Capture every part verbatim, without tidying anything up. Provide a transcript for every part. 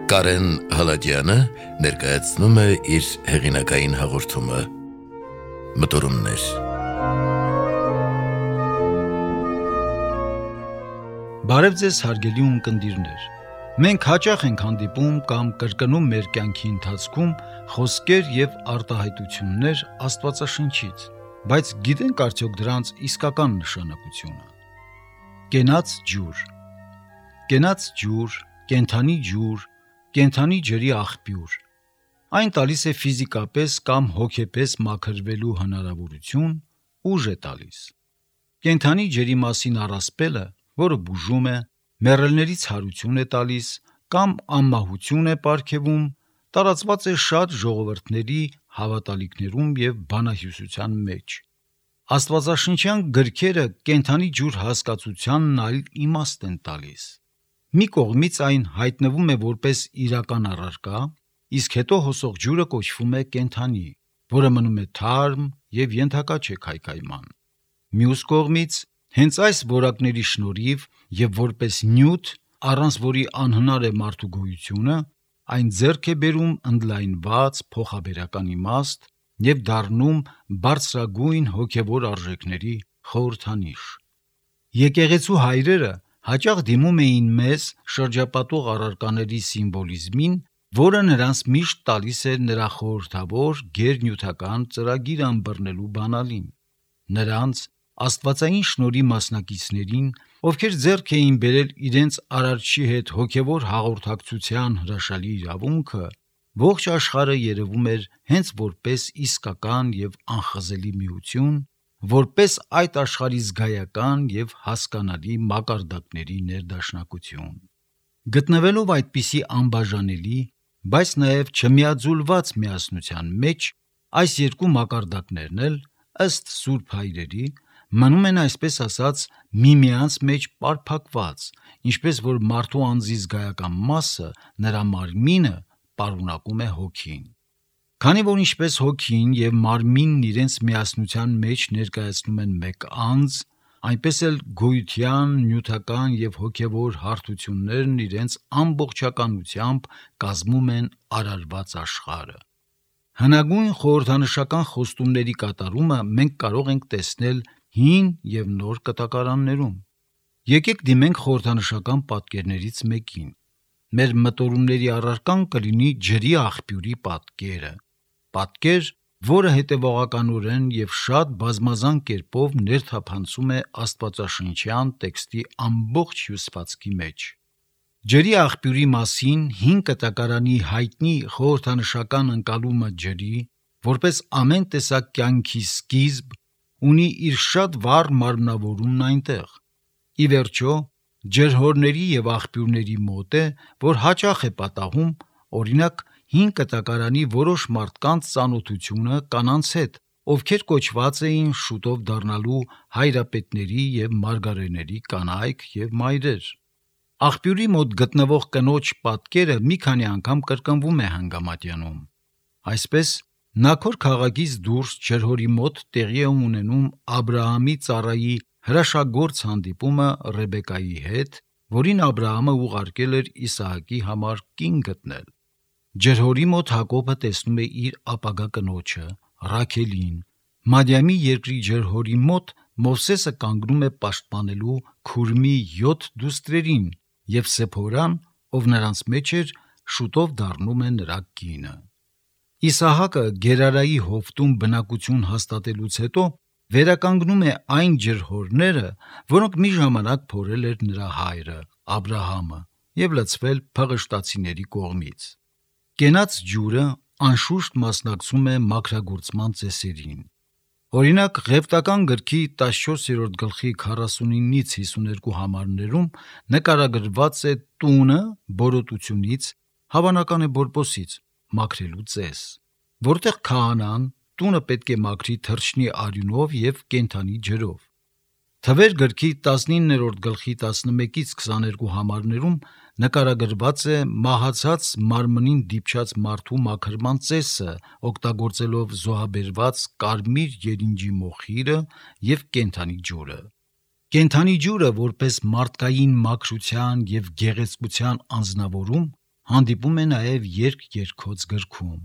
Կարեն Հալաջյանը ներկայացնում է իր հեղինակային հաղորդումը Մտորումներ։ Բարև ձեզ հարգելի ունկնդիրներ։ Մենք հաճախ ենք հանդիպում կամ կրկնում մեր կյանքի ընթացքում խոսքեր եւ արտահայտություններ Աստվածաշնչից, բայց գիտենք արդյոք դրանց իսկական նշանակությունը։ Կենաց ջուր, կենաց ջուր, կենդանի ջուր, կենդանի ջրի աղբյուր։ Այն տալիս է ֆիզիկապես կամ հոգեպես մաքրվելու հնարավորություն, ուժ է տալիս։ Կենդանի ջրի մասին առասպելը, որը բուժում է, մեռելներից հարություն է տալիս կամ անմահություն է պարգևում, տարածված է շատ ժողովուրդների հավատալիքներում եւ բանահյուսության մեջ։ Աստվածաշնչյան գրքերը կենդանի ջուր հասկացությանն այլ իմաստ են տալիս։ Մի կողմից այն հայտնվում է որպես իրական առարկա, իսկ հետո հոսող ջուրը կոչվում է կենդանի, որը մնում է թարմ եւ ենթակա չէ քայքայման։ Մյուս կողմից, հենց այս որակների շնորհիվ եւ որպես նյութ, առանց որի անհնար է մարդու գոյությունը, այն ձեռք է բերում ընդլայնված փոխաբերական իմաստ եւ դառնում բարձրագույն հոգեվոր արժեքների խորհրդանիշ։ Եկեղեցու հայրերը հաճախ դիմում էին մեզ շրջապատող առարկաների սիմվոլիզմին, որը նրանց միշտ տալիս էր նրա խորհրդավոր գերնյութական ծրագիր ըմբռնելու բանալին։ Նրանց աստվածային շնորհի մասնակիցներին, ովքեր ձեռք էին բերել իրենց արարչի հետ հոգևոր հաղորդակցության հրաշալի իրավունքը, ողջ աշխարհը երևում էր հենց որպես իսկական եւ անխզելի միություն, որպես այդ աշխարհի զգայական եւ հասկանալի մակարդակների ներդաշնակություն։ Գտնվելով այդպիսի անբաժանելի, բայց նաեւ չմիաձուլված միասնության մեջ, այս երկու մակարդակներն էլ, ըստ Սուրբ Հայրերի, մնում են այսպես ասած միմյանց մեջ պարփակված, ինչպես որ մարդու անձի զգայական մասը, նրա մարմինը, պարունակում է հոգին։ Քանի որ ինչպես հոգին եւ մարմինն իրենց միասնության մեջ ներկայացնում են մեկ անձ, այնպես էլ գոյության, նյութական եւ հոգեվոր հարթություններն իրենց ամբողջականությամբ կազմում են արարված աշխարհը։ Հնագույն խորհրդանշական խոստումների կատարումը մենք կարող ենք տեսնել հին եւ նոր կտակարաններում։ Եկեք դիմենք խորհրդանշական պատկերներից մեկին։ Մեր մտորումների առարկան կլինի ջրի աղբյուրի պատկերը, պատկեր, որը հետևողականորեն եւ շատ բազմազան կերպով ներթափանցում է աստվածաշնչյան տեքստի ամբողջ հյուսվածքի մեջ։ Ջրի աղբյուրի մասին հին կտակարանի հայտնի խորհրդանշական ընկալումը ջրի, որպես ամեն տեսակ կյանքի սկիզբ, ունի իր շատ վառ մարմնավորումն այնտեղ։ Ի վերջո, ջրհորների եւ աղբյուրների մոտ է, որ հաճախ է պատահում, օրինակ, հին կտակարանի որոշ մարդկանց ծանոթությունը կանանց հետ, ովքեր կոչված էին շուտով դառնալու հայրապետների եւ մարգարեների կանայք եւ մայրեր։ Աղբյուրի մոտ գտնվող կնոջ պատկերը մի քանի անգամ կրկնվում է Հանգամատյանում։ Այսպես, Նաքոր քաղաքից դուրս ջրհորի մոտ տեղի է ունենում Աբրահամի ծառայի հրաշագործ հանդիպումը Ռեբեկայի հետ, որին Աբրահամը ուղարկել էր Իսահակի համար կին գտնել։ Ջրհորի մոտ Հակոբը տեսնում է իր ապագա կնոջը, Ռաքելին։ Մադիամի երկրի ջրհորի մոտ Մովսեսը կանգնում է պաշտպանելու Քուրմի յոթ դուստրերին, եւ Սեփորան, ով նրանց մեջ էր, շուտով դառնում է նրա կինը։ Իսահակը Գերարայի հովտում բնակություն հաստատելուց հետո վերականգնում է այն ջրհորները, որոնք մի ժամանակ փորել էր նրա հայրը Աբրահամը եւ լցվել փղշտացիների կողմից։ Կենաց ջուրը անշուշտ մասնակցում է մաքրագործման ծեսերին։ Օրինակ, Ղևտական գրքի տասնչորսերորդ գլխի քառասունինից հիսուներկու համարներում նկարագրված է տունը բորոտությունից, հավանական է բորբոսից, մաքրելու ծես, որտեղ քահանան տունը պետք է մաքրի թռչնի արյունով եւ կենդանի ջրով։ Թվեր գրքի տասնիններորդ գլխի տասնմեկից քսաներկու համարներում նկարագրված է մահացած մարմնին դիպչած մարդու մաքրման ծեսը, օգտագործելով զոհաբերված կարմիր երինջի մոխիրը եւ կենդանի ջուրը։ Կենդանի ջուրը որպես մարդկային մաքրության եւ գեղեցկության անձնավորում հանդիպում է նաև երկ երգոց գրքում,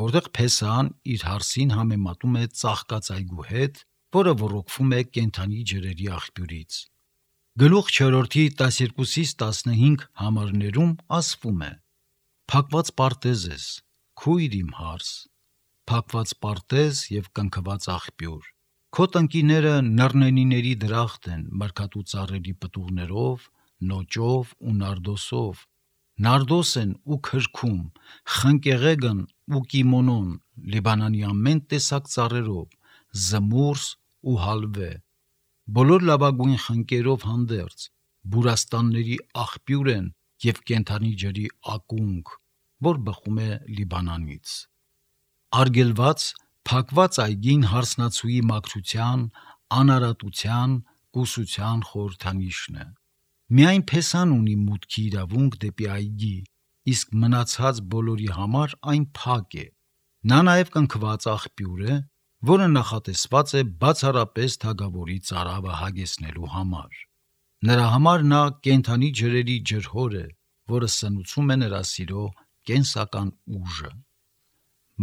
որտեղ Փեսահան իր հարսին համեմատում է ծաղկածայգու հետ, որը ոռոգվում է կենդանի ջրերի աղբյուրից։ Գլուխ չորրորդի տասներկուսից տասնհինգ համարներում ասվում է. «Փակված պարտեզ ես, քույր իմ հարս, փակված պարտեզ և կնքված աղբյուր։ Քո տնկիները նռնենիների դրախտ են մրգատու ծառերի պտուղներով, նոճով ու նարդոսով, նարդոս են ու քրքում, խնկեղեգն ու կիմոնոն, Լիբանանի ամեն տեսակ ծառերով, զմուրս ու հալվե, բոլոր լավագույն խնկերով հանդերձ, բուրաստանների աղբյուր են և կենդանի ջրի ակունք, որ բխում է Լիբանանից»։ Արգելված, փակված այգին հարսնացուի մաքրության, անարատության, կուսության խորհրդանիշն է։ Միայն Փեսան ունի մուտքի իրավունք դեպի այգի, իսկ մնացած բոլորի համար այն փակ է։ Նա նաև կնքված աղբյուր է, որը նախատեսված է բացառապես թագավորի ծարավը հագեցնելու համար։ Նրա համար նա կենդանի ջրերի ջրհոր է, որը սնուցում է նրա սիրո կենսական ուժը։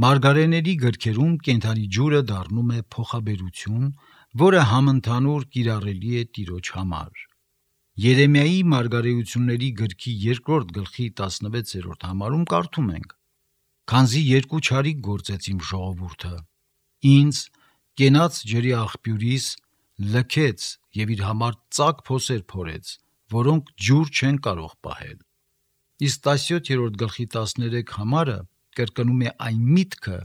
Մարգարեների գրքերում կենդանի ջուրը դառնում է փոխաբերություն, որը համընդհանուր կիրառելի է Տիրոջ համար։ Երեմիայի մարգարեությունների գրքի երկրորդ գլխի տասնվեցերորդ համարում կարդում ենք. «Քանզի երկու չարիք գործեց իմ ժողովուրդը, ինձ կենաց ջրի աղբյուրիս լքեց և իր համար ծակ փոսեր փորեց, որոնք ջուր չեն կարող պահել»։ Իսկ տասնյոթերորդ գլխի տասներեք համարը կրկնում է այն միտքը,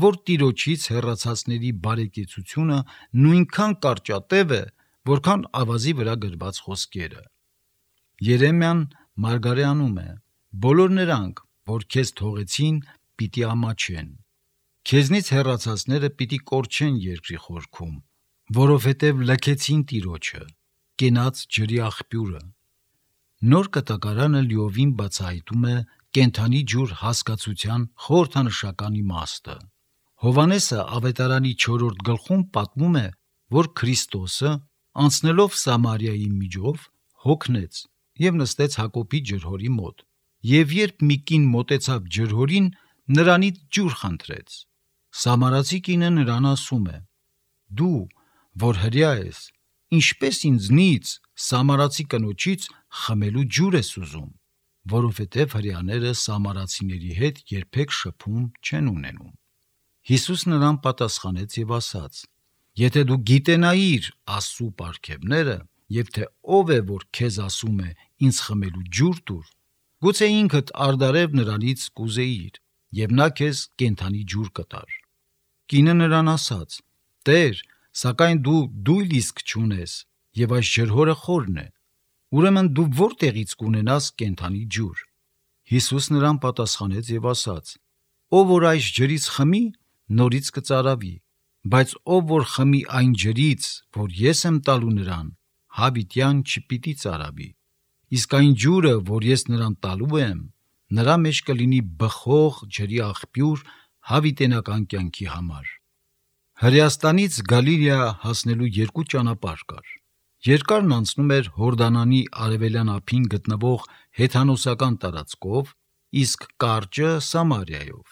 որ Տիրոջից հեռացածների բարեկեցությունը նույնքան կարճատև է, որքան ավազի վրա գրված խոսքերը։ Երեմիան մարգարեանում է. «Բոլոր նրանք, որ քեզ թողեցին, պիտի ամաչեն, քեզնից հեռացածները պիտի կորչեն երկրի խորքում, որովհետև լքեցին Տիրոջը, կենաց ջրի աղբյուրը»։ Նոր Կտակարանը լիովին բացահայտում է կենդանի ջուր հասկացության խորհրդանշական իմաստը։ Հովհաննեսը Ավետարանի չորրորդ գլխում պատմում է, որ Քրիստոսը, անցնելով Սամարիայի միջով, հոգնեց և նստեց Հակոբի ջրհորի մոտ, և երբ մի կին մոտեցավ ջրհորին, նրանից ջուր խնդրեց։ Սամարացի կինը նրան ասում է. «Դու, որ հրեա ես, ինչպես ինձնից, սամարացի կնոջից, խմելու ջուր ես ուզում, որովհետև հրեաները սամարացիների հետ երբեք շփում չեն ունենում»։ Հիսուս նրան պատասխանեց և ասաց. «Եթե դու գիտենայիր Աստծու պարգևները, և թե ով է, որ քեզ ասում է ինձ խմելու ջուր տուր, գուցե ինքդ առդարև նրանից կուզեիր, և նա քեզ կենդանի ջուր կտար»։ Կինը նրան ասաց. «Տեր, սակայն դու դույլ իսկ չունես, և այս ջրհորը խորն է, ուրեմն դու որտեղից կունենաս կենդանի ջուր»։ Հիսուս նրան պատասխանեց և ասաց. «Ով որ այս ջրից խմի, նորից կծարավի, բայց ով որ խմի այն ջրից, որ ես եմ տալու նրան, հավիտյան չպիտի ծարավի, իսկ այն ջուրը, որ ես նրան տալու եմ, նրա մեջ կլինի բխող ջրի աղբյուր հավիտենական կյանքի համար»։ Հրեաստանից Գալիլեա հասնելու երկու ճանապարհ կար։ Երկարն անցնում էր Հորդանանի արևելյան ափին գտնվող հեթանոսական տարածքով, իսկ կարճը Սամարիայով,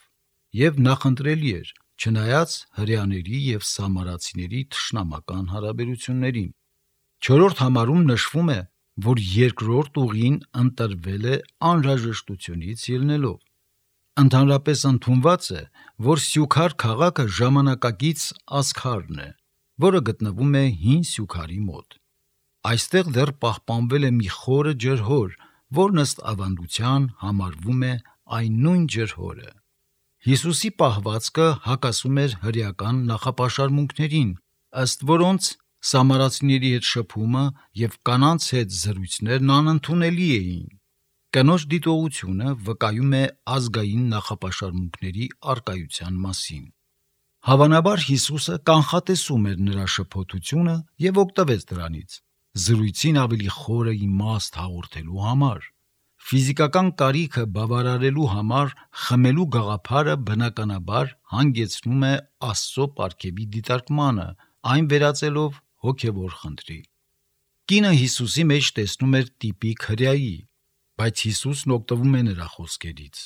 և նախընտրելի էր, չնայած հրեաների և սամարացիների թշնամական հարաբերություններին։ Չորրորդ համարում նշվում է, որ երկրորդ ուղին ընտրվել է անհրաժեշտությունից ելնելով։ Ընդհանրապես ընդունված է, որ Սյուքար քաղաքը ժամանակակից Ասքարն է, որը գտնվում է Հին Սյուքարի մոտ։ Այստեղ դեռ պահպանվել է մի խորը ջրհոր, որն ըստ ավանդության համարվում է այն նույն ջրհորը։ Հիսուսի պահվածքը հակասում էր հրեական նախապաշարմունքներին, ըստ որոնց սամարացիների հետ շփումը և կանանց հետ զրույցներն անընդունելի էին։ Կնոջ դիտողությունը վկայում է ազգային նախապաշարմունքների առկայության մասին։ Հավանաբար Հիսուսը կանխատեսում էր նրա շփոթությունը և օգտվեց դրանից, զրույցին ավելի խորը իմաստ հաղորդելու համար։ Ֆիզիկական կարիքը բավարարելու համար խմելու գաղափարը բնականաբար հանգեցնում է Աստծո պարգևի դիտարկմանը, այն վերածելով հոգևոր խնդրի։ Կինը Հիսուսի մեջ տեսնում էր տիպիկ հրեայի, բայց Հիսուսն օգտվում է նրա խոսքերից։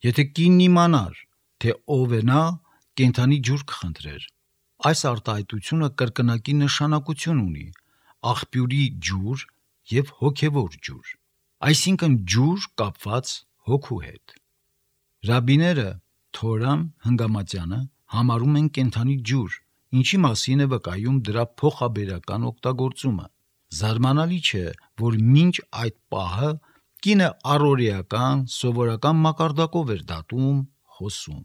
Եթե կինն իմանար, թե ով է նա, կենդանի ջուր կխնդրեր։ Այս արտահայտությունը կրկնակի նշանակություն ունի՝ աղբյուրի ջուր եւ հոգեվոր ջուր, այսինքն ջուր կապված հոգու հետ։ Ռաբիները Թորան Հնգամատյանը համարում են կենդանի ջուր, ինչի մասին է վկայում դրա փոխաբերական օգտագործումը։ Զարմանալի չէ, որ մինչ այդ պահը կինը առօրեական, սովորական մակարդակով էր դատում, խոսում։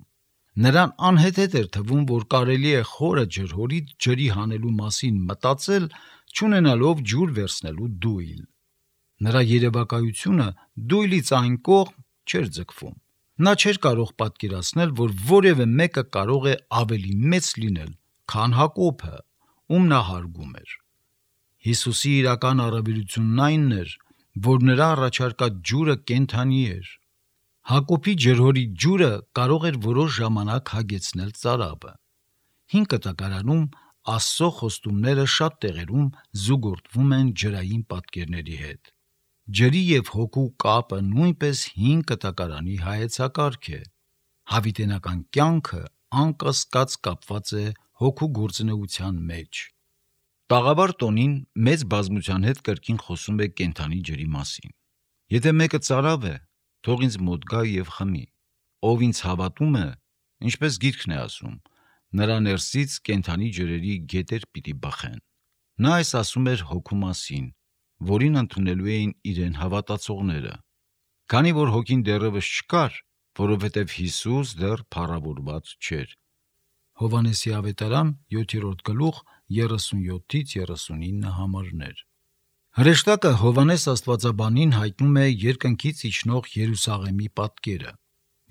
Նրան անհեթեթ էր թվում, որ կարելի է խորը ջրհորից ջրի հանելու մասին մտածել, չունենալով ջուր վերցնելու դույլ։ Նրա երևակայությունը դույլից այն կողմ չէր ձգվում։ Նա չէր կարող պատկերացնել, որ որևէ մեկը կարող է ավելի մեծ լինել, քան Հակոբը, ում նա հարգում էր։ Հիսուսի իրական առավելությունն այն էր, որ նրա առաջարկած ջուրը կենդանի էր։ Հակոբի ջրհորի ջուրը կարող էր որոշ ժամանակ հագեցնել ծարավը։ Հին կտակարանում Աստծո խոստումները շատ տեղերում զուգորդվում են ջրային պատկերների հետ։ Ջրի և հոգու կապը նույնպես հին կտակարանի հայեցակարգ է։ Հավիտենական կյանքը անկասկած կապված է հոգու գործունեության մեջ։ Տաղավար տոնին մեծ բազմության հետ կրկին խոսում է կենդանի ջրի մասին։ Եթե մեկը ծարավ է, թող ինձ մոտ գա և խմի։ Ով ինձ հավատում է, ինչպես գիրքն է ասում, նրա ներսից կենդանի ջրերի գետեր պիտի բխեն։ Նա այս ասում էր հոգու մասին, որին ընդունելու էին իրեն հավատացողները։ Քանի որ հոգին դեռևս չկար, որովհետև Հիսուս դեռ փառավորված չէր։ Հովհաննեսի ավետարան յոթերորդ գլուխ երեսունյոթից երեսունինը համարներ։ Հրեշտակը Հովհաննես աստվածաբանին հայտնում է երկնքից իջնող Երուսաղեմի պատկերը,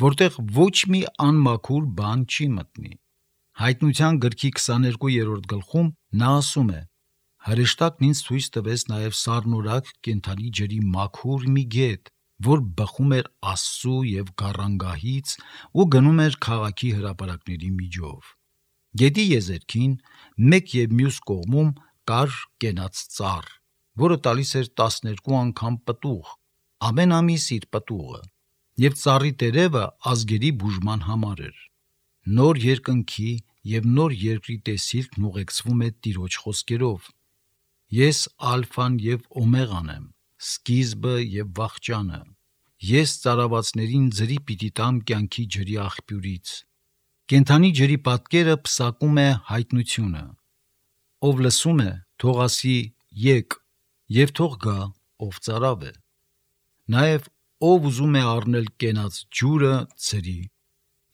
որտեղ ոչ մի անմաքուր բան չի մտնի։ Հայտնության գրքի քսաներկուերորդ գլխում նա ասում է. հրեշտակն ինձ ցույց տվեց նաև սառնորակ կենդանի ջրի մաքուր մի գետ, որ բխում էր Աստծու և գառանգահից ու գնում էր քաղաքի հրապարակների միջով։ Գետի եզերքին մեկ և մյուս կողմում կար կենաց ծառ, որը տալիս էր տասներկու անգամ պտուղ, ամեն ամիս իր պտուղը, և ծառի տերևը ազգերի բուժման համար էր։ Նոր երկնքի և նոր երկրի տեսիլքն ուղեկցվում է Տիրոջ խոսքերով. Ես ալֆան և օմեղան եմ, սկիզբը և վախճանը։ Ես ծարավացներին ձրի պիտի տամ կյանքի ջրի աղբյուրից։ Կենդանի ջրի պատկերը պսակում է հայտնությունը։ Ով լսում է, թող ասի եկ, և թող գա, ով ծարավ է։ Նաև ով ուզում է առնել կենաց ջուրը ցրի։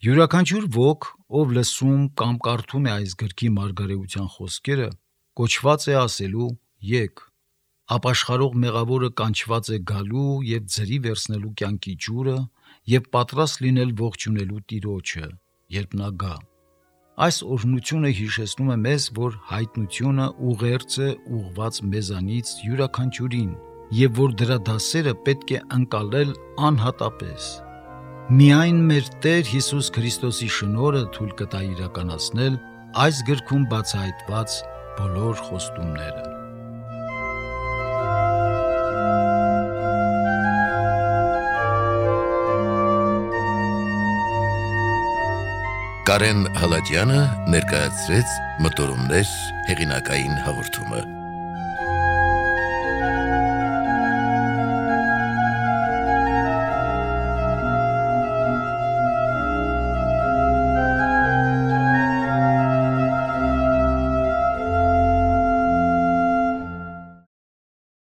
Յուրաքանչյուր ոք, ով լսում կամ կարդում է այս գրքի մարգարեության խոսքերը, կոչված է ասելու եկ։ Ապաշխարող մեղավորը կանչված է գալու և ձրի վերցնելու կյանքի ջուրը և պատրաստ լինել ողջունելու Տիրոջը, երբ նա գա։ Այս օրհնությունը հիշեցնում է մեզ, որ հայտնությունը ուղերձ է ուղղված մեզանից յուրաքանչյուրին, և որ դրա դասերը պետք է ընկալել անհատապես։ Միայն մեր Տեր Հիսուս Քրիստոսի շնորհը թույլ կտա իրականացնել այս գրքում բացահայտված բոլոր խոստումները։ Կարեն Հալաջյանը ներկայացրեց Մտորումներ հեղինակային հաղորդումը։